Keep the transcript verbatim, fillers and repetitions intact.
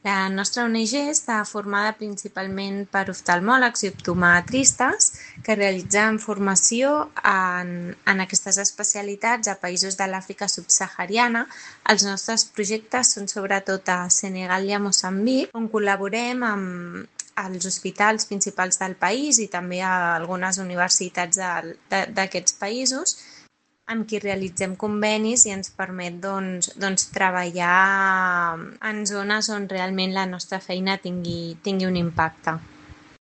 La nostra O N G està formada principalment per oftalmòlegs i optometristes que realitzen formació en, en aquestes especialitats a països de l'Àfrica subsahariana. Els nostres projectes són sobretot a Senegal i a Moçambic, on col·laborem amb els hospitals principals del país i també a algunes universitats d'aquests països, amb qui realitzem convenis i ens permet doncs, doncs, treballar en zones on realment la nostra feina tingui, tingui un impacte.